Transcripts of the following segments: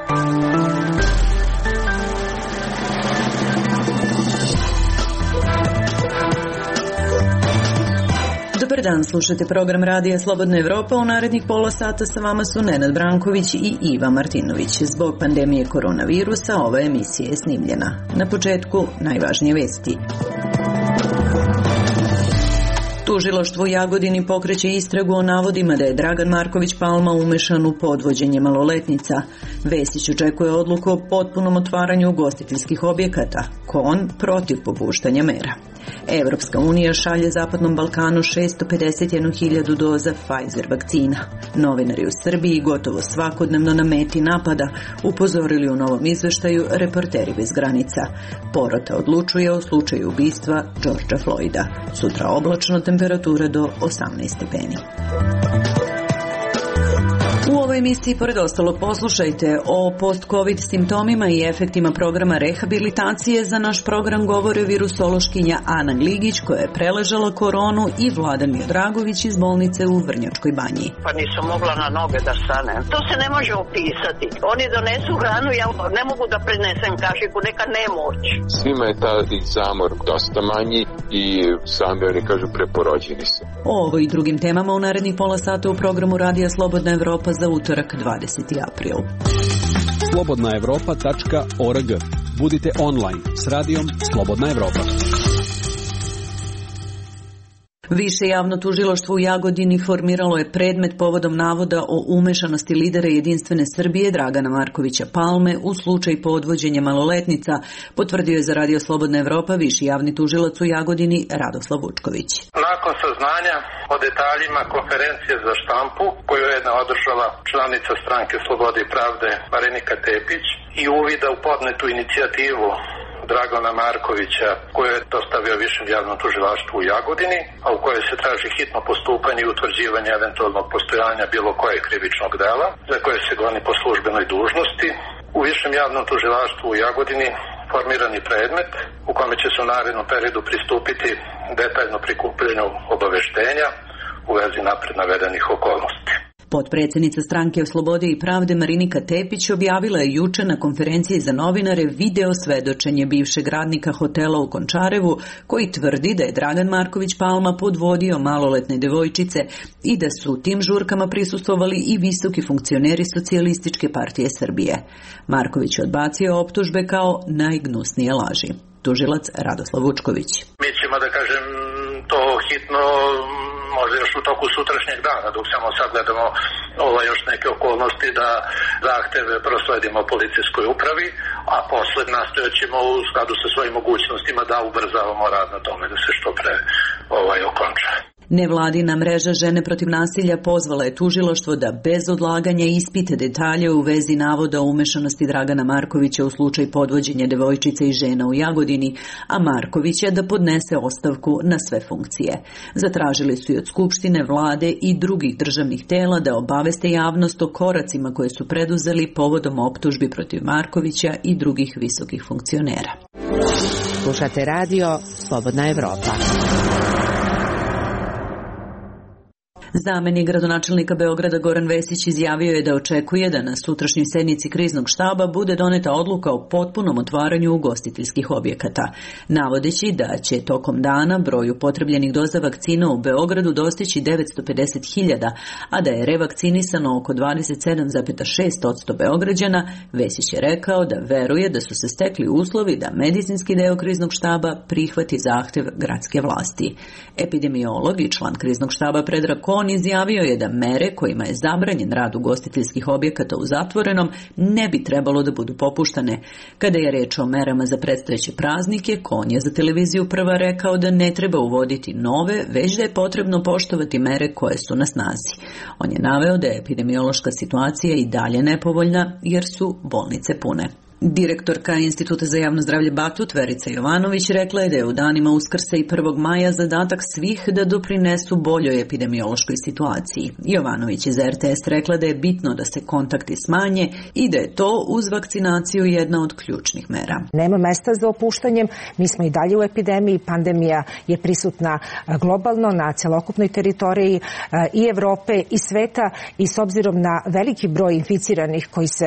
Dobar dan, slušate program Radija Slobodna Evropa. U narednih pola sata sa vama su Nenad Branković i Iva Martinović. Zbog pandemije koronavirusa ova emisija je snimljena. Na početku najvažnije vesti. Tužilaštvo u Jagodini pokreće istragu o navodima da je Dragan Marković Palma umešan u podvođenje maloletnica. Vesić očekuje odluku o potpunom otvaranju ugostiteljskih objekata. KON protiv popuštanja mera. Evropska unija šalje Zapadnom Balkanu 651.000 doza Pfizer vakcina. Novinari u Srbiji gotovo svakodnevno na meti napada, upozorili u novom izveštaju Reporteri bez granica. Porota odlučuje o slučaju ubistva Georgea Floyda. Sutra oblačno, temperatura do 18 stepeni. U ovoj emisiji, pored ostalog, poslušajte o post-covid simptomima i efektima programa rehabilitacije. Za naš program govore virusološkinja Ana Gligić, koja je preležala koronu, i Vladan Miodragović iz bolnice u Vrnjačkoj Banji. Pa nisam mogla na noge da stanem. To se ne može opisati. Oni donesu hranu, ja ne mogu da prenesem kašiku, neka nemoć. Svima je taj zamor dosta manji i sami oni kažu preporođeni se. O ovo i drugim temama u narednih pola sata u programu Radija Slobodna Evropa za utorak 20. april. slobodnaevropa.org. Budite online s radijom Slobodna Evropa. Više javno tužilaštvo u Jagodini formiralo je predmet povodom navoda o umešanosti lidera Jedinstvene Srbije Dragana Markovića Palme u slučaj podvođenja maloletnica, potvrdio je za Radio Slobodna Evropa viši javni tužilac u Jagodini Radoslav Vučković. Nakon saznanja o detaljima konferencije za štampu koju je održala članica Stranke Slobode i pravde Marinika Tepić i uvida u podnetu inicijativu Dragana Markovića, koju je dostavio Višem javnom tužilaštvu u Jagodini, a u kojoj se traži hitno postupanje i utvrđivanje eventualnog postojanja bilo kojeg krivičnog dela, za koje se goni po službenoj dužnosti. U Višem javnom tužilaštvu u Jagodini formirani predmet u kome će se u narednom periodu pristupiti detaljno prikupljenju obaveštenja u vezi napred navedenih okolnosti. Potpredsjednica Stranke Slobode i pravde Marinika Tepić objavila je juče na konferenciji za novinare video svedočenje bivšeg radnika hotela u Končarevu, koji tvrdi da je Dragan Marković Palma podvodio maloletne devojčice i da su tim žurkama prisustvovali i visoki funkcioneri Socijalističke partije Srbije. Marković je odbacio optužbe kao najgnusnije laži. Tužilac Radoslav Vučković. Mi ćemo, da kažem, to hitno možda još u toku sutrašnjeg dana, dok samo sagledamo još neke okolnosti, da zahteve prosledimo policijskoj upravi, a posle nastojat ćemo u skladu sa svojim mogućnostima da ubrzavamo rad na tome da se što pre okonča. Nevladina mreža Žene protiv nasilja pozvala je tužilaštvo da bez odlaganja ispite detalje u vezi navoda o umešanosti Dragana Markovića u slučaj podvođenja devojčica i žena u Jagodini, a Markovića da podnese ostavku na sve funkcije. Zatražili su i od Skupštine, vlade i drugih državnih tela da obaveste javnost o koracima koje su preduzeli povodom optužbi protiv Markovića i drugih visokih funkcionera. Slušate radio Slobodna Evropa. Zamenik gradonačelnika Beograda Goran Vesić izjavio je da očekuje da na sutrašnjoj sednici kriznog štaba bude doneta odluka o potpunom otvaranju ugostiteljskih objekata, navodeći da će tokom dana broj upotrebljenih doza vakcina u Beogradu dostići 950.000, a da je revakcinisano oko 27,6% Beograđana. Vesić je rekao da veruje da su se stekli uslovi da medicinski deo kriznog štaba prihvati zahtev gradske vlasti. Epidemiolog i član kriznog štaba Predrag Kon izjavio je da mere kojima je zabranjen rad ugostiteljskih objekata u zatvorenom ne bi trebalo da budu popuštane. Kada je reč o merama za predstojeće praznike, Kon je za televiziju Prva rekao da ne treba uvoditi nove, već da je potrebno poštovati mere koje su na snazi. On je naveo da je epidemiološka situacija i dalje nepovoljna jer su bolnice pune. Direktorka Instituta za javno zdravlje Batut, Verica Jovanović, rekla je da je u danima Uskrsa i 1. maja zadatak svih da doprinesu boljoj epidemiološkoj situaciji. Jovanović iz RTS rekla da je bitno da se kontakti smanje i da je to uz vakcinaciju jedna od ključnih mera. Nema mesta za opuštanjem, mi smo i dalje u epidemiji, pandemija je prisutna globalno na celokupnoj teritoriji i Evrope i sveta i s obzirom na veliki broj inficiranih koji se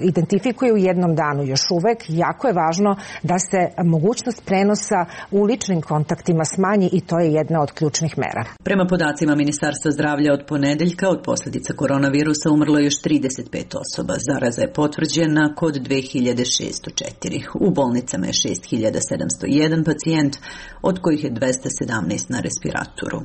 identifikuju u jednom danu još uvek, jako je važno da se mogućnost prenosa u ličnim kontaktima smanji i to je jedna od ključnih mera. Prema podacima Ministarstva zdravlja od ponedeljka od posljedica koronavirusa umrlo je još 35 osoba. Zaraza je potvrđena kod 2604. U bolnicama je 6701 pacijent, od kojih je 217 na respiratoru.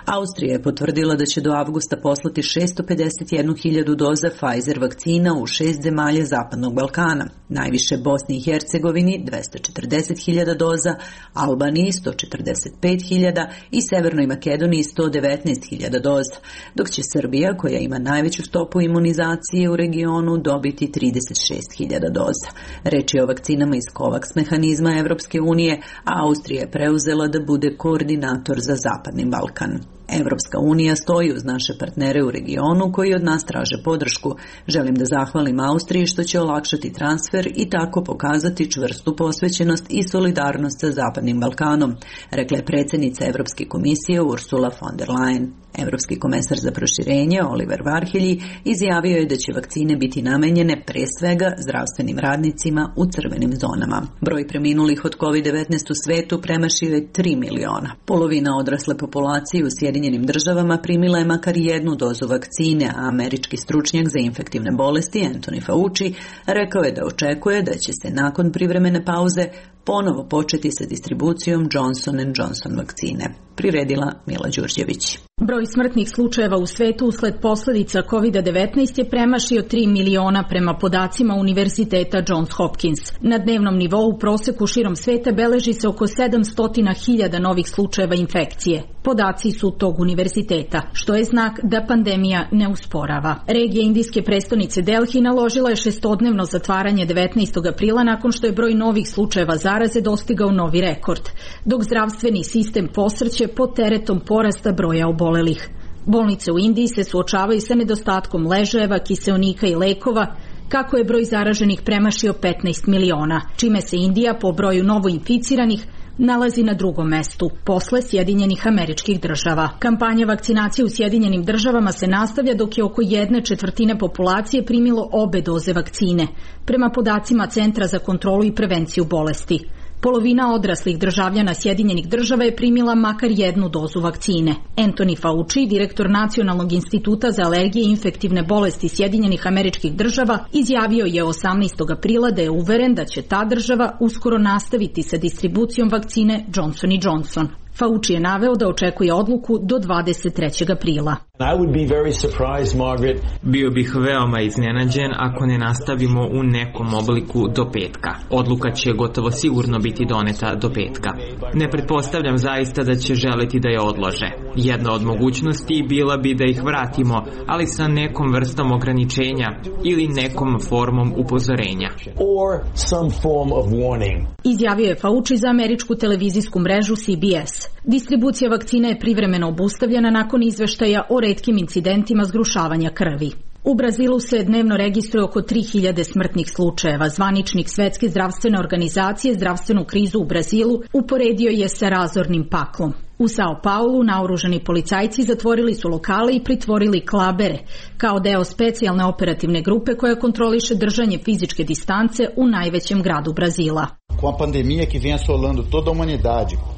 Austrija je potvrdila da će do avgusta poslati 651.000 doza Pfizer vakcina u 6 zemalja Zapadnog Balkana. Najviše Bosni i Hercegovini 240.000 doza, Albaniji 145.000 i Severnoj Makedoniji 119.000 doza, dok će Srbija, koja ima najveću stopu imunizacije u regionu, dobiti 36.000 doza. Reč je o vakcinama iz COVAX mehanizma Evropske unije, a Austrija je preuzela da bude koordinator za Zapadni Balkan. Evropska unija stoji uz naše partnere u regionu koji od nas traže podršku. Želim da zahvalim Austriji što će olakšati transfer i tako pokazati čvrstu posvećenost i solidarnost sa Zapadnim Balkanom, rekla je predsjednica Evropske komisije Ursula von der Leyen. Evropski komesar za proširenje Oliver Varhelyi izjavio je da će vakcine biti namenjene pre svega zdravstvenim radnicima u crvenim zonama. Broj preminulih od COVID-19 u svetu premašio je 3 miliona. Polovina odrasle populacije u Sjedinjenim državama primila je makar jednu dozu vakcine, a američki stručnjak za infektivne bolesti Anthony Fauci rekao je da očekuje da će se nakon privremene pauze ponovo početi sa distribucijom Johnson & Johnson vakcine. Priredila Mila Đurđević. Broj smrtnih slučajeva u svetu usled posljedica COVID-19 je premašio 3 miliona prema podacima Univerziteta Johns Hopkins. Na dnevnom nivou u proseku širom sveta beleži se oko 700.000 novih slučajeva infekcije. Podaci su tog univerziteta, što je znak da pandemija ne usporava. Regija indijske prestonice Delhi naložila je 6-dnevno zatvaranje 19. aprila nakon što je broj novih slučajeva zaraze dostigao novi rekord, dok zdravstveni sistem posrće pod teretom porasta broja obolelih. Bolnice u Indiji se suočavaju sa nedostatkom ležajeva, kiseonika i lekova, kako je broj zaraženih premašio 15 miliona, čime se Indija po broju novoinficiranih nalazi na drugom mestu, posle Sjedinjenih Američkih Država. Kampanja vakcinacije u Sjedinjenim Državama se nastavlja dok je oko 1/4 populacije primilo obe doze vakcine, prema podacima Centra za kontrolu i prevenciju bolesti. Polovina odraslih državljana Sjedinjenih Država je primila makar jednu dozu vakcine. Anthony Fauci, direktor Nacionalnog instituta za alergije i infektivne bolesti Sjedinjenih Američkih Država, izjavio je 18. aprila da je uveren da će ta država uskoro nastaviti sa distribucijom vakcine Johnson & Johnson. Fauci je naveo da očekuje odluku do 23. aprila. Bio bih veoma iznenađen ako ne nastavimo u nekom obliku do petka. Odluka će gotovo sigurno biti doneta do petka. Ne pretpostavljam zaista da će želeti da je odlože. Jedna od mogućnosti bila bi da ih vratimo, ali sa nekom vrstom ograničenja ili nekom formom upozorenja. Izjavio je Fauci za američku televizijsku mrežu CBS. Distribucija vakcine je privremeno obustavljena nakon izveštaja o retkim incidentima zgrušavanja krvi. U Brazilu se dnevno registruje oko 3000 smrtnih slučajeva. Zvaničnik Svetske zdravstvene organizacije zdravstvenu krizu u Brazilu uporedio je sa razornim paklom. U Sao Paulu naoružani policajci zatvorili su lokale i pritvorili klabere, kao deo specijalne operativne grupe koja kontroliše držanje fizičke distance u najvećem gradu Brazila.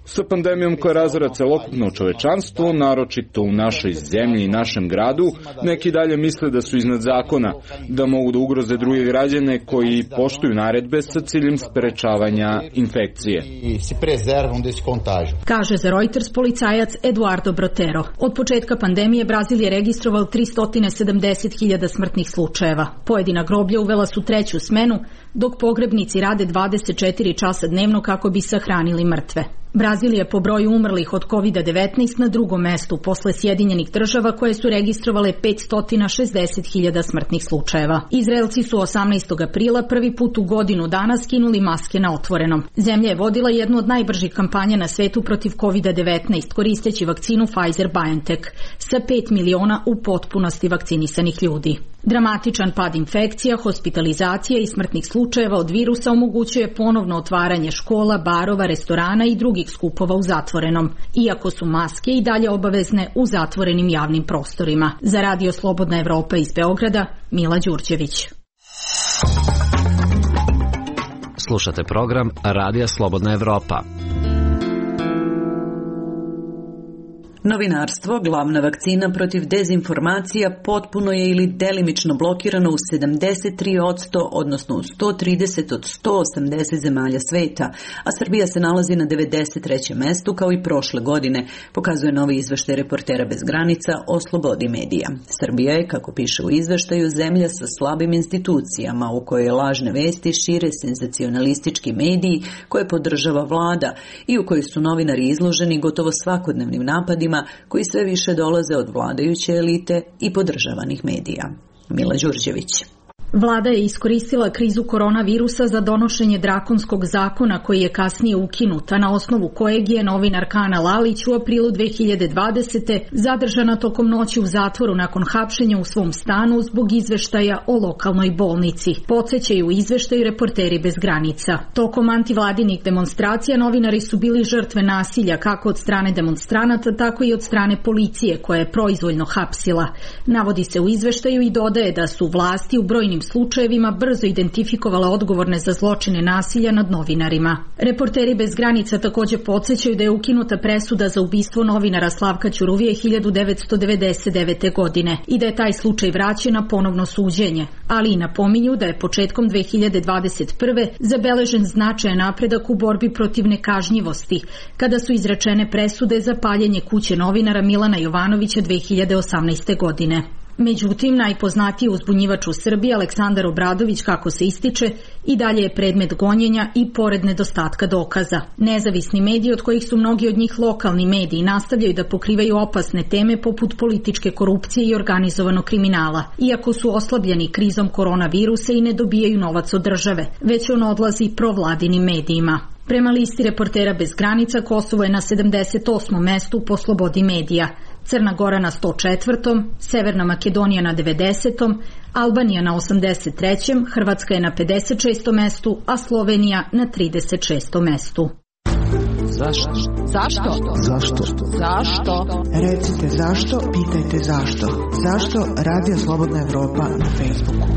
Sa pandemijom koja razara celokupno čovečanstvo, naročito u našoj zemlji i našem gradu, neki dalje misle da su iznad zakona, da mogu da ugroze druge građane koji poštuju naredbe sa ciljem sprečavanja infekcije. Kaže za Reuters policajac Eduardo Brotero. Od početka pandemije Brazil je registrovao 370.000 smrtnih slučajeva. Pojedina groblja uvela su 3. smenu, dok pogrebnici rade 24 časa dnevno kako bi sahranili mrtve. Brazil je po broju umrlih od COVID-19 na drugom mestu posle Sjedinjenih država koje su registrovale 560.000 smrtnih slučajeva. Izraelci su 18. aprila prvi put u godinu dana skinuli maske na otvorenom. Zemlja je vodila jednu od najbržih kampanja na svetu protiv COVID-19 koristeći vakcinu Pfizer-BioNTech sa 5 miliona u potpunosti vakcinisanih ljudi. Dramatičan pad infekcija, hospitalizacija i smrtnih slučajeva od virusa omogućuje ponovno otvaranje škola, barova, restorana i drugih skupova u zatvorenom, iako su maske i dalje obavezne u zatvorenim javnim prostorima. Za Radio Slobodna Evropa iz Beograda, Mila Đurđević. Slušate program Radija Slobodna Evropa. Novinarstvo, glavna vakcina protiv dezinformacija, potpuno je ili delimično blokirano u 73%, odnosno u 130 od 180 zemalja sveta, a Srbija se nalazi na 93. mestu kao i prošle godine, pokazuje novi izveštaj Reportera bez granica o slobodi medija. Srbija je, kako piše u izveštaju, zemlja sa slabim institucijama u kojoj lažne vesti šire senzacionalistički mediji koje podržava vlada i u kojoj su novinari izloženi gotovo svakodnevnim napadima koji sve više dolaze od vladajuće elite i podržavanih medija. Mila Đurđević. Vlada je iskoristila krizu koronavirusa za donošenje drakonskog zakona koji je kasnije ukinut, a na osnovu kojeg je novinarka Ana Lalić u aprilu 2020. zadržana tokom noći u zatvoru nakon hapšenja u svom stanu zbog izveštaja o lokalnoj bolnici. Podsećaju u izveštaju Reporteri bez granica. Tokom antivladinih demonstracija novinari su bili žrtve nasilja kako od strane demonstranata, tako i od strane policije koja je proizvoljno hapsila. Navodi se u izveštaju i dodaje da su vlasti u brojnim slučajevima brzo identifikovala odgovorne za zločine nasilja nad novinarima. Reporteri bez granica također podsjećaju da je ukinuta presuda za ubistvo novinara Slavka Ćuruvije 1999. godine i da je taj slučaj vraćen na ponovno suđenje, ali i napominju da je početkom 2021. zabeležen značajan napredak u borbi protiv nekažnjivosti, kada su izrečene presude za paljenje kuće novinara Milana Jovanovića 2018. godine. Međutim, najpoznatiji uzbunjivač u Srbiji, Aleksandar Obradović, kako se ističe, i dalje je predmet gonjenja i pored nedostatka dokaza. Nezavisni mediji, od kojih su mnogi od njih lokalni mediji, nastavljaju da pokrivaju opasne teme poput političke korupcije i organizovanog kriminala, iako su oslabljeni krizom koronavirusa i ne dobijaju novac od države, već on odlazi provladinim medijima. Prema listi Reportera bez granica, Kosovo je na 78. mestu po slobodi medija, Crna Gora na 104. Severna Makedonija na 90. Albanija na 83. Hrvatska je na 56. mestu, a Slovenija na 36. mestu. Zašto? Zašto? Zašto? Zašto? Recite zašto, pitajte zašto. Zašto Radio Slobodna Evropa na Facebooku?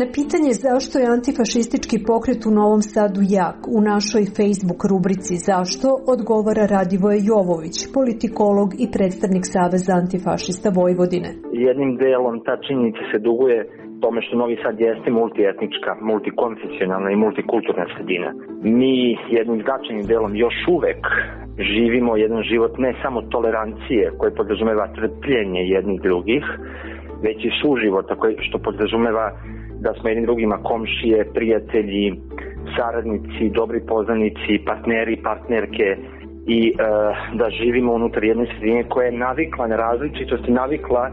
Na pitanje zašto je antifašistički pokret u Novom Sadu jak u našoj Facebook rubrici Zašto odgovara Radivoje Jovović, politikolog i predstavnik Saveza antifašista Vojvodine. Jednim delom ta činjenica se duguje tome što Novi Sad jeste multietnička, multikonfesionalna i multikulturna sredina. Mi jednim značajnim delom još uvek živimo jedan život ne samo tolerancije koje podrazumeva trpljenje jednih drugih, već i suživota što podrazumeva da smo jednim drugima komšije, prijatelji, saradnici, dobri poznanici, partneri, partnerke i da živimo unutar jedne sredine koja je navikla na različitost i navikla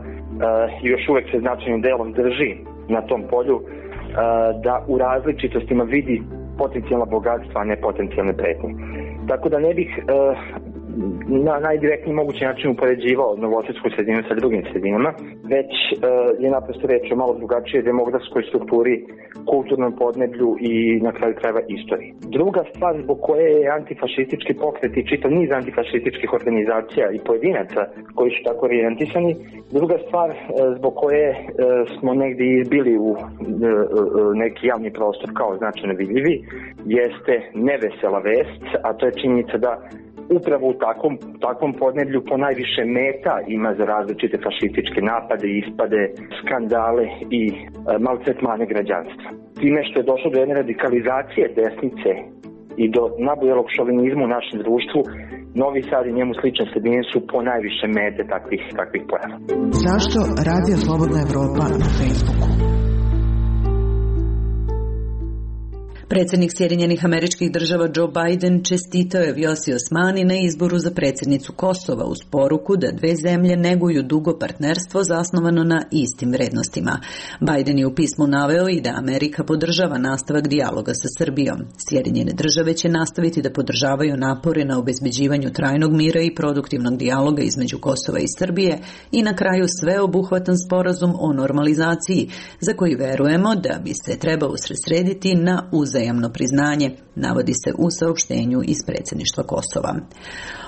i još uvek se značajnim delom drži na tom polju da u različitostima vidi potencijalna bogatstva, a ne potencijalne pretnje. Tako da ne bih na najdirektniji mogući način upoređivao novosadsku sredinu sa drugim sredinama, već je naprosto reč o malo drugačije demografskoj strukturi, kulturnom podneblju i na kraju krajeva istoriji. Druga stvar zbog koje je antifašistički pokret i čitav niz antifašističkih organizacija i pojedinaca koji su tako orijentisani, druga stvar zbog koje smo negdje izbili u neki javni prostor kao značajno vidljivi, jeste nevesela vest, a to je činjenica da upravo u takvom podneblju ponajviše meta ima za različite fašističke napade, ispade, skandale i maltretmane građanstva. Time što je došlo do jedne radikalizacije desnice i do nabujelog šovinizma u našem društvu, Novi Sad i njemu slične sredine su ponajviše mete takvih pojava. Zašto Radio Slobodna Evropa na Facebooku? Predsjednik Sjedinjenih Američkih Država Joe Biden čestitao je Vjosi Osmani na izboru za predsjednicu Kosova uz poruku da dve zemlje neguju dugo partnerstvo zasnovano na istim vrednostima. Biden je u pismu naveo i da Amerika podržava nastavak dijaloga sa Srbijom. Sjedinjene Države će nastaviti da podržavaju napore na obezbeđivanju trajnog mira i produktivnog dijaloga između Kosova i Srbije i na kraju sveobuhvatan sporazum o normalizaciji za koji verujemo da bi se trebao usredsrediti na uzajamno priznanje, navodi se u saopštenju iz predsjedništva Kosova.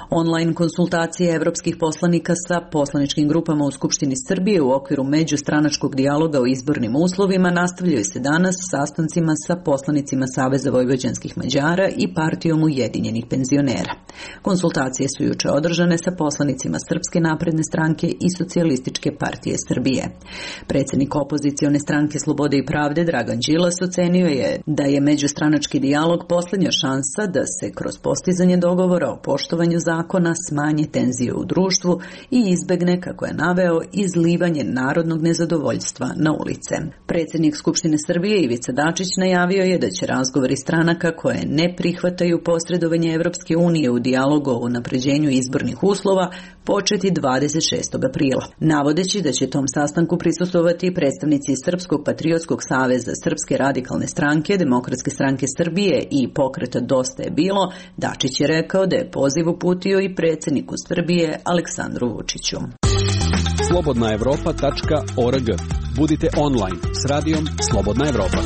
Online konsultacije evropskih poslanika sa poslaničkim grupama u Skupštini Srbije u okviru međustranačkog dijaloga o izbornim uslovima nastavljaju se danas sastancima sa poslanicima Saveza vojvođanskih Mađara i Partijom ujedinjenih penzionera. Konsultacije su juče održane sa poslanicima Srpske napredne stranke i Socijalističke partije Srbije. Predsjednik opozicione stranke Slobode i pravde Dragan Đilas ocenio je da je međustranački dijalog posljednja šansa da se kroz postizanje dogovora o poštovanju zakona smanje tenzije u društvu i izbegne, kako je naveo, izlivanje narodnog nezadovoljstva na ulice. Predsjednik Skupštine Srbije Ivica Dačić najavio je da će razgovori stranaka koje ne prihvataju posredovanje Evropske unije u dijalogu o unapređenju izbornih uslova početi 26. aprila. Navodeći da će tom sastanku prisustvovati predstavnici Srpskog patriotskog saveza, Srpske radikalne stranke, Demokratske stranke Srbije i pokreta Dosta je bilo, Dačić je rekao da je poziv uputio i predsjedniku Srbije Aleksandru Vučiću. slobodnaevropa.org. Budite online s radijom Slobodna Evropa.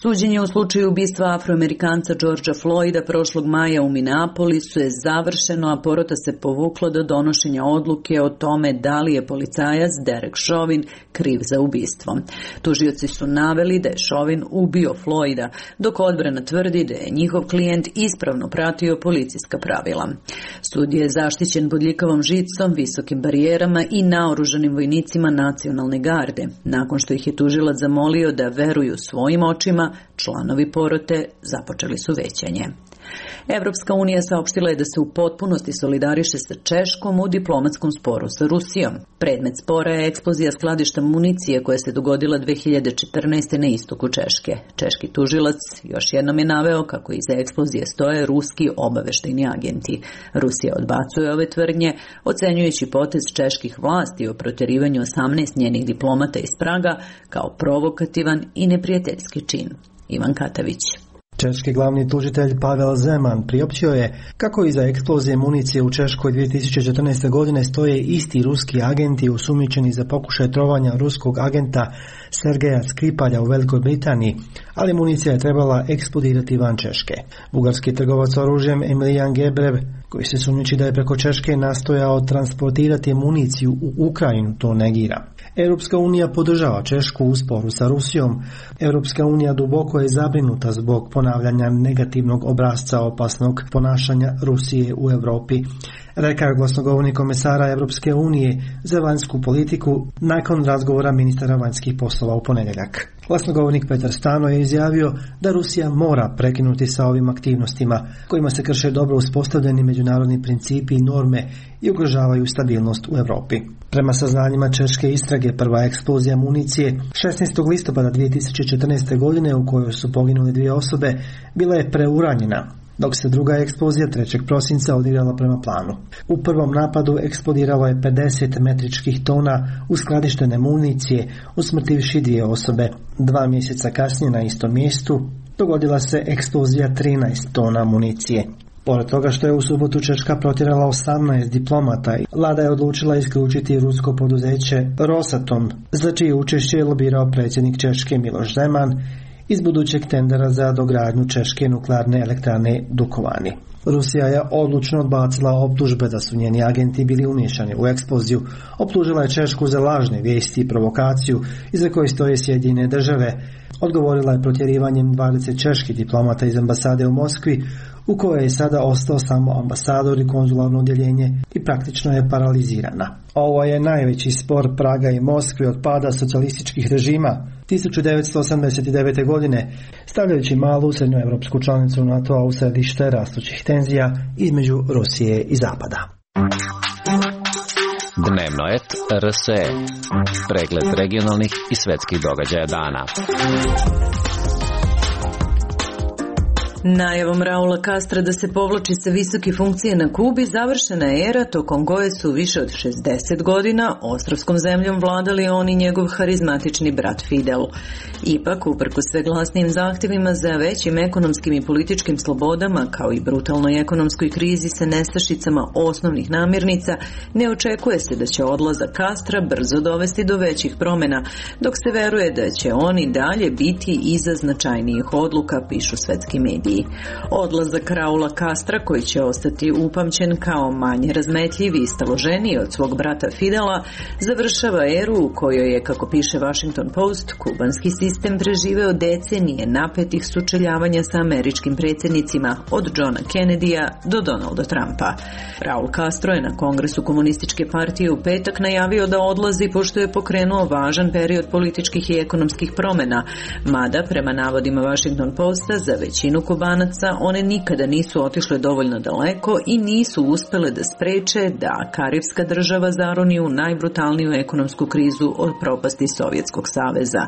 Suđenje u slučaju ubistva Afroamerikanca Georgea Floyda prošlog maja u Minneapolisu je završeno, a porota se povukla do donošenja odluke o tome da li je policajac Derek Chauvin kriv za ubistvo. Tužioci su naveli da je Chauvin ubio Floyda, dok odbrana tvrdi da je njihov klijent ispravno pratio policijska pravila. Sud je zaštićen bodljikavom žicom, visokim barijerama i naoružanim vojnicima nacionalne garde, nakon što ih je tužilac zamolio da veruju svojim očima. Članovi porote započeli su većanje. Evropska unija saopštila je da se u potpunosti solidariše sa Češkom u diplomatskom sporu sa Rusijom. Predmet spora je eksplozija skladišta municije koja se dogodila 2014. na istoku Češke. Češki tužilac još jednom je naveo kako iza eksplozije stoje ruski obaveštajni agenti. Rusija odbacuje ove tvrdnje, ocenjujući potez čeških vlasti o protjerivanju 18 njenih diplomata iz Praga kao provokativan i neprijateljski čin. Ivan Katavić. Češki glavni tužitelj Pavel Zeman priopćio je kako iza eksplozije municije u Češkoj 2014. godine stoje isti ruski agenti osumnjičeni za pokušaj trovanja ruskog agenta Sergeja Skripalja u Velikoj Britaniji, ali municija je trebala eksplodirati van Češke. Bugarski trgovac oružjem Emilijan Gebrev, koji se sumnjiči da je preko Češke nastojao transportirati municiju u Ukrajinu, to negira. Europska unija podržava Češku u sporu sa Rusijom. Europska unija duboko je zabrinuta zbog ponavljanja negativnog obrasca opasnog ponašanja Rusije u Europi, rekao je glasnogovornik komesara Europske unije za vanjsku politiku nakon razgovora ministara vanjskih poslova u ponedjeljak. Glasnogovornik Petar Stano je izjavio da Rusija mora prekinuti sa ovim aktivnostima kojima se krše dobro uspostavljeni međunarodni principi i norme i ugrožavaju stabilnost u Europi. Prema saznanjima češke istrage, prva eksplozija municije 16. listopada 2014. godine u kojoj su poginule 2 osobe bila je preuranjena, dok se druga eksplozija 3. prosinca odigrala prema planu. U prvom napadu eksplodiralo je 50 metričkih tona uskladištene municije, usmrtivši 2 osobe. 2 mjeseca kasnije na istom mjestu dogodila se eksplozija 13 tona municije. Pored toga što je u subotu Češka protjerala 18 diplomata, vlada je odlučila isključiti rusko poduzeće Rosatom, za čije učešće je lobirao predsjednik Češke Miloš Zeman iz budućeg tendera za dogradnju češke nuklearne elektrane Dukovani. Rusija je odlučno odbacila optužbe da su njeni agenti bili umiješani u eksploziju. Optužila je Češku za lažne vijesti i provokaciju iza koje stoje Sjedinjene Države. Odgovorila je protjerivanjem 20 čeških diplomata iz ambasade u Moskvi, u kojoj je sada ostao samo ambasador i konzularno odjeljenje i praktično je paralizirana. Ovo je najveći spor Praga i Moskve od pada socijalističkih režima 1989. godine, stavljajući malu srednjoevropsku članicu NATO-a u središte rastućih tenzija između Rusije i Zapada. Dnevnoet.rs. Pregled regionalnih i svetskih događaja dana. Najavom Raula Castra da se povlači sa visoke funkcije na Kubi završena je era tokom koje su više od 60 godina ostrvskom zemljom vladali on i njegov harizmatični brat Fidel. Ipak, uprkos sve glasnim zahtjevima za većim ekonomskim i političkim slobodama, kao i brutalnoj ekonomskoj krizi sa nestašicama osnovnih namirnica, ne očekuje se da će odlazak Castra brzo dovesti do većih promjena, dok se veruje da će on i dalje biti iza značajnijih odluka, pišu svetski mediji. Odlazak Raula Castra, koji će ostati upamćen kao manje razmetljiv i staloženiji od svog brata Fidela, završava eru u kojoj je, kako piše Washington Post, kubanski sistem preživeo decenije napetih sučeljavanja sa američkim predsjednicima od Johna Kennedya do Donalda Trumpa. Raul Castro je na Kongresu komunističke partije u petak najavio da odlazi pošto je pokrenuo važan period političkih i ekonomskih promjena, mada prema navodima Washington Posta za većinu Kubanaca one nikada nisu otišle dovoljno daleko i nisu uspele da spreče da karibska država zaroni u najbrutalniju ekonomsku krizu od propasti Sovjetskog saveza.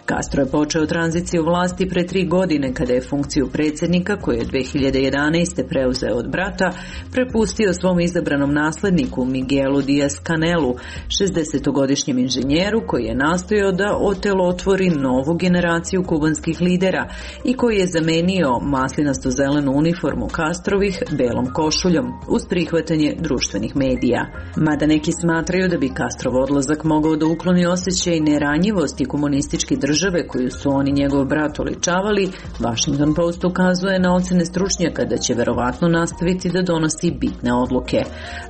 Castro je počeo tranziciju vlasti pre 3 godine kada je funkciju predsjednika, koju je 2011. preuzeo od brata, prepustio svom izabranom nasledniku Miguelu Díaz-Canelu, 60-godišnjem inženjeru koji je nastojao da otelotvori novu generaciju kubanskih lidera i koji je zamenio maslinasto-zelenu uniformu Castrovih belom košuljom uz prihvatanje društvenih medija. Mada neki smatraju da bi Castrov odlazak mogao da ukloni osjećaj neranjivosti komunističke države koju su on i njegov brat oličavali, Washington Post ukazuje na ocene stručnjaka da će verovatno nastaviti da donosi bitne odluke.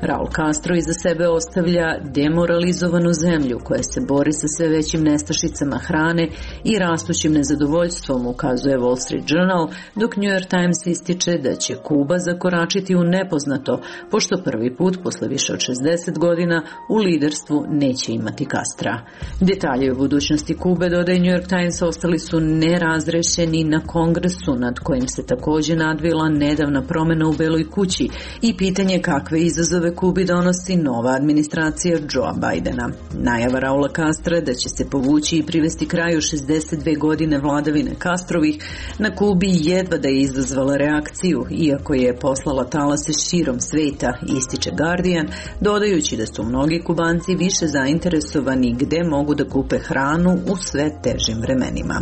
Raul Castro iza sebe ostavlja demoralizovanu zemlju koja se bori sa sve većim nestašicama hrane i rastućim nezadovoljstvom, ukazuje Wall Street Journal, dok New York Times ističe da će Kuba zakoračiti u nepoznato, pošto prvi put posle više od 60 godina u liderstvu neće imati Castra. Detalje o budućnosti Kube, dodaje New York Times, ostali su nerazrešeni na Kongresu, nad kojim se također nadvila nedavna promjena u Beloj kući i pitanje kakve izazove Kubi donosi nova administracija Joea Bidena. Najava Raula Castra da će se povući i privesti kraju 62 godine vladavine Castrovih na Kubi jedva da je izazvala reakciju, iako je poslala talase širom sveta, ističe Guardian, dodajući da su mnogi Kubanci više zainteresovani gde mogu da kupe hranu u sve težim vremenima.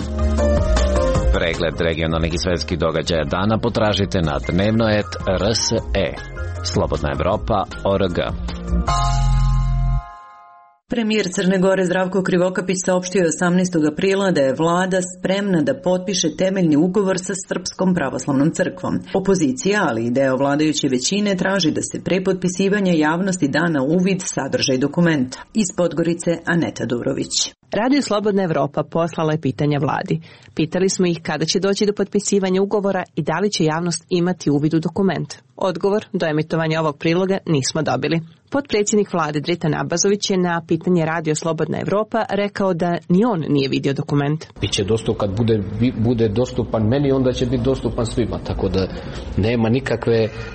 Pregled regionalnih i svetskih događaja dana potražite na Dnevnoet.rs. Slobodna Evropa.org. Premijer Crne Gore Zdravko Krivokapić saopštio je 18. aprila da je vlada spremna da potpiše temeljni ugovor sa Srpskom pravoslavnom crkvom. Opozicija, ali i deo vladajuće većine, traži da se pre potpisivanja javnosti da na uvid sadržaj dokumenta. Iz Podgorice Aneta Durović. Radio Slobodna Evropa poslala je pitanja vladi. Pitali smo ih kada će doći do potpisivanja ugovora i da li će javnost imati uvid u dokument. Odgovor do emitovanja ovog priloga nismo dobili. Potpredsjednik vlade Dritan Abazović je na pitanje Radio Slobodna Evropa rekao da ni on nije vidio dokument. Biće dostupan, kad bude dostupan meni, onda će biti dostupan svima, tako da nema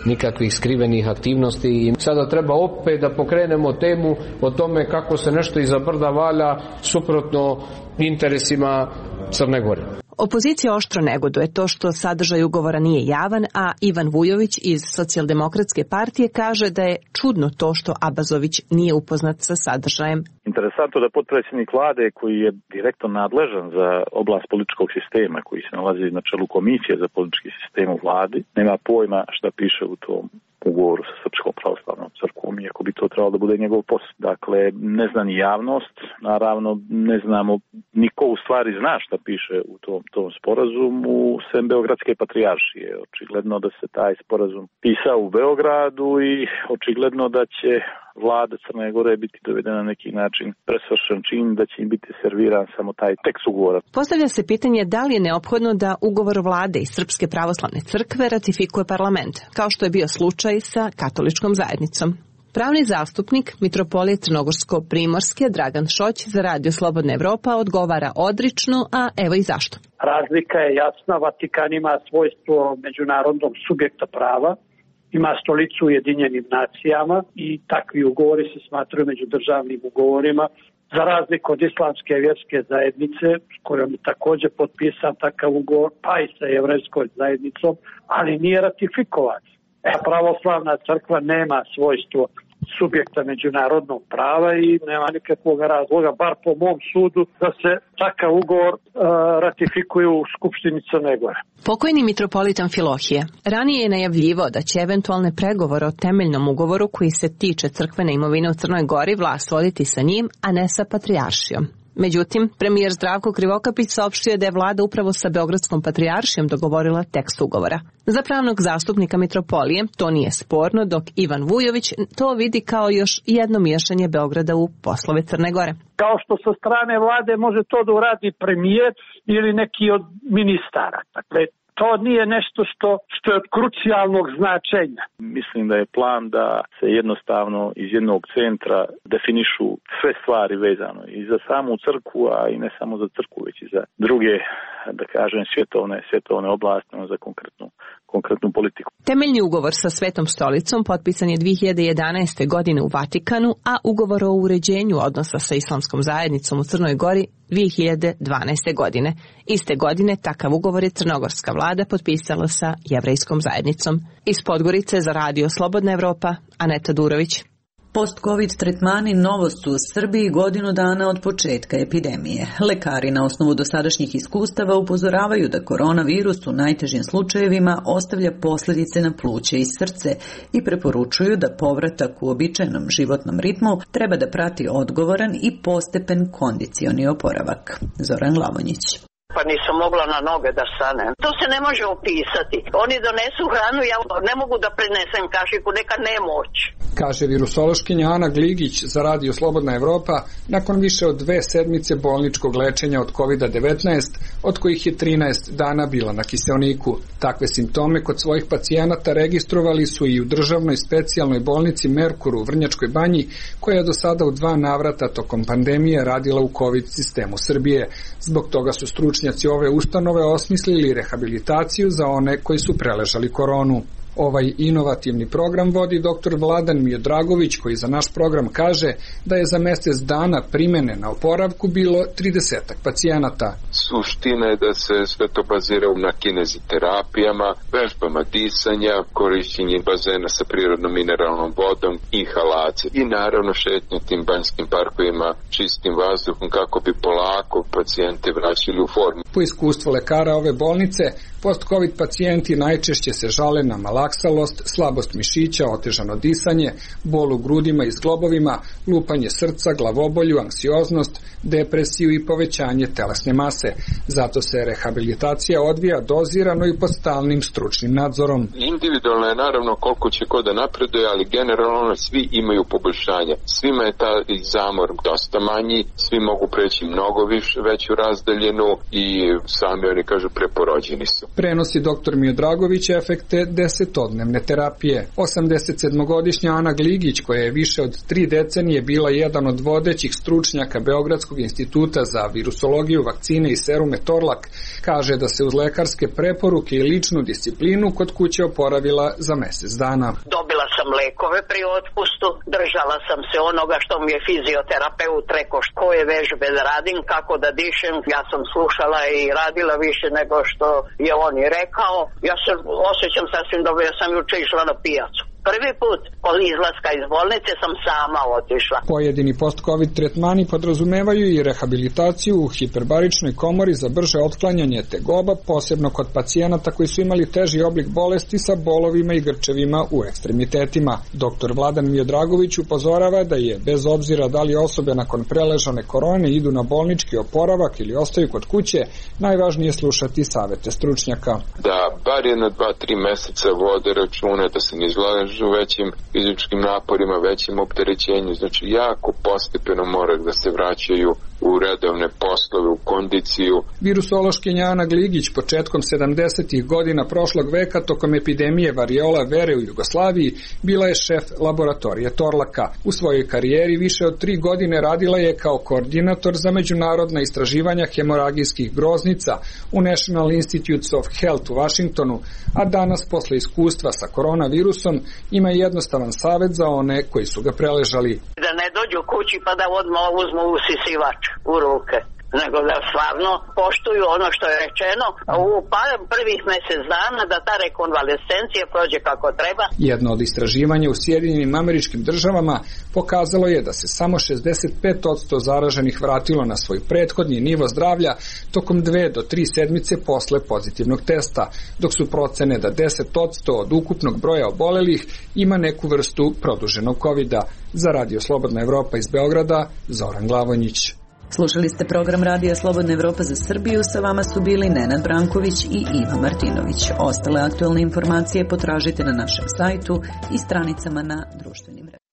nikakvih skrivenih aktivnosti. I sada treba opet da pokrenemo temu o tome kako se nešto iza brda valja suprotno interesima Crne Gore. Opozicija oštro negoduje to što sadržaj ugovora nije javan, a Ivan Vujović iz Socijaldemokratske partije kaže da je čudno to što Abazović nije upoznat sa sadržajem. Interesantno da potpredsjednik vlade, koji je direktno nadležan za oblast političkog sistema, koji se nalazi na čelu komisije za politički sistem u vladi, nema pojma šta piše u tom ugovoru sa Srpskom pravoslavnom crkvom, iako bi to trebalo da bude njegov posao. Dakle, ne zna ni javnost, naravno ne znamo, niko u stvari zna šta piše u tom sporazumu, sem Beogradske patrijaršije. Očigledno da se taj sporazum pisao u Beogradu i očigledno da će vlada Crne Gore biti dovedena na neki način presvršen čin, da će im biti serviran samo taj tekst ugovora. Postavlja se pitanje da li je neophodno da ugovor vlade i Srpske pravoslavne crkve ratifikuje parlament, kao što je bio slučaj sa katoličkom zajednicom. Pravni zastupnik Mitropolije Crnogorsko-Primorske Dragan Šoć za Radio Slobodna Evropa odgovara odrično, a evo i zašto. Razlika je jasna, Vatikan ima svojstvo međunarodnog subjekta prava ima stolicu u Ujedinjenim nacijama i takvi ugovori se smatraju međudržavnim ugovorima, za razliku od islamske vjerske zajednice, s kojom je također potpisan takav ugovor, pa i sa jevrejskom zajednicom, ali nije ratifikovan. Pravoslavna crkva nema svojstvo subjekta međunarodnog prava i nema nikakvog razloga, bar po mom sudu, da se takav ugovor ratifikuje u Skupštini Crne Gore. Pokojni mitropolita Amfilohije ranije je najavljivao da će eventualne pregovore o temeljnom ugovoru koji se tiče crkvene imovine u Crnoj Gori vlast voditi sa njim, a ne sa patrijaršijom. Međutim, premijer Zdravko Krivokapić saopštio da je vlada upravo sa Beogradskom patrijaršijom dogovorila tekst ugovora. Za pravnog zastupnika mitropolije to nije sporno, dok Ivan Vujović to vidi kao još jedno miješanje Beograda u poslove Crne Gore. Kao što sa strane vlade može to da uradi premijer ili neki od ministara. Dakle, to nije nešto što je od krucijalnog značenja. Mislim da je plan da se jednostavno iz jednog centra definišu sve stvari vezano i za samu crkvu, a i ne samo za crkvu, već i za druge, da kažem, svjetovne oblasti, za konkretnu politiku. Temeljni ugovor sa Svetom stolicom potpisan je 2011. godine u Vatikanu, a ugovor o uređenju odnosa sa islamskom zajednicom u Crnoj Gori 2012. godine. Iste godine takav ugovor je crnogorska vlada potpisala sa jevrejskom zajednicom. Iz Podgorice za Radio Slobodna Evropa, Aneta Durović. Post-covid tretmani novost u Srbiji godinu dana od početka epidemije. Lekari na osnovu dosadašnjih iskustava upozoravaju da koronavirus u najtežim slučajevima ostavlja posljedice na pluće i srce i preporučuju da povratak u običajnom životnom ritmu treba da prati odgovoran i postepen kondicioni oporavak. Zoran Glavonjić. Pa nisam mogla na noge da stanem. To se ne može opisati. Oni donesu hranu, ja ne mogu da prenesem kašiku, neka nemoć. Kaže virusološkinja Ana Gligić za Radio Slobodna Evropa nakon više od 2 sedmice bolničkog lečenja od COVID-19, od kojih je 13 dana bila na kiseoniku. Takve simptome kod svojih pacijenata registrovali su i u državnoj specijalnoj bolnici Merkur u Vrnjačkoj Banji, koja je do sada u 2 navrata tokom pandemije radila u COVID sistemu Srbije. Zbog toga su stručnjaci ove ustanove osmislili rehabilitaciju za one koji su preležali koronu. Ovaj inovativni program vodi dr. Vladan Miodragović, koji za naš program kaže da je za mjesec dana primene na oporavku bilo 30 pacijenata. Suština je da se sve to bazira na kineziterapijama, vežbama disanja, korišćenje bazena sa prirodnom mineralnom vodom, inhalacije i naravno šetnje tim banjskim parkovima čistim vazduhom kako bi polako pacijente vraćali u formu. Po iskustvu lekara ove bolnice, post-covid pacijenti najčešće se žale na malaksalost, slabost mišića, otežano disanje, bol u grudima i zglobovima, lupanje srca, glavobolju, anksioznost, depresiju i povećanje telesne mase. Zato se rehabilitacija odvija dozirano i pod stalnim stručnim nadzorom. Individualno je naravno koliko će ko da napreduje, ali generalno svi imaju poboljšanja. Svima je taj zamor dosta manji, svi mogu preći mnogo veću razdaljenu i sami oni kažu preporođeni su. Prenosi dr. Miodragović efekte 10-dnevne terapije. 87-godišnja Ana Gligić, koja je više od 3 decenije bila jedan od vodećih stručnjaka Beogradskog instituta za virusologiju, vakcine i serume Torlak, kaže da se uz lekarske preporuke i ličnu disciplinu kod kuće oporavila za mjesec dana. Dobila sam lekove pri otpustu, držala sam se onoga što mi je fizioterapeut rekao koje vežbe da radim, kako da dišem. Ja sam slušala i radila više nego što je on i rekao. Ja se osjećam sasvim dobro, ja sam juče išla na pijacu. Prvi put od izlaska iz bolnice sam sama otišla. Pojedini post-covid tretmani podrazumevaju i rehabilitaciju u hiperbaričnoj komori za brže otklanjanje tegoba, posebno kod pacijenata koji su imali teži oblik bolesti sa bolovima i grčevima u ekstremitetima. Dr. Vladan Miodragović upozorava da je, bez obzira da li osobe nakon preležane korone idu na bolnički oporavak ili ostaju kod kuće, najvažnije slušati savete stručnjaka. Da bar jedno 2-3 meseca vode račune, da se ne izlažu većim fizičkim naporima, većim opterećenju, znači jako postepeno mora da se vraćaju u redovne poslove, u kondiciju. Virusološkinja Ana Gligić početkom 70. godina prošlog veka tokom epidemije variola vere u Jugoslaviji bila je šef laboratorije Torlaka. U svojoj karijeri više od 3 godine radila je kao koordinator za međunarodna istraživanja hemoragijskih groznica u National Institutes of Health u Washingtonu, a danas posle iskustva sa koronavirusom ima jednostavan savjet za one koji su ga preležali. Da ne dođu kući pa da odmah uzmu usisivač u ruke, nego da stvarno poštuju ono što je rečeno u prvih mjesec dana, da ta rekonvalescencija prođe kako treba. Jedno od istraživanja u Sjedinjenim Američkim Državama pokazalo je da se samo 65% zaraženih vratilo na svoj prethodni nivo zdravlja tokom 2 do 3 sedmice posle pozitivnog testa, dok su procene da 10% od ukupnog broja obolelih ima neku vrstu produženog covida. Za Radio Slobodna Evropa iz Beograda, Zoran Glavonjić. Slušali ste program Radija Slobodna Evropa za Srbiju, sa vama su bili Nenad Branković i Iva Martinović. Ostale aktualne informacije potražite na našem sajtu i stranicama na društvenim mrežama.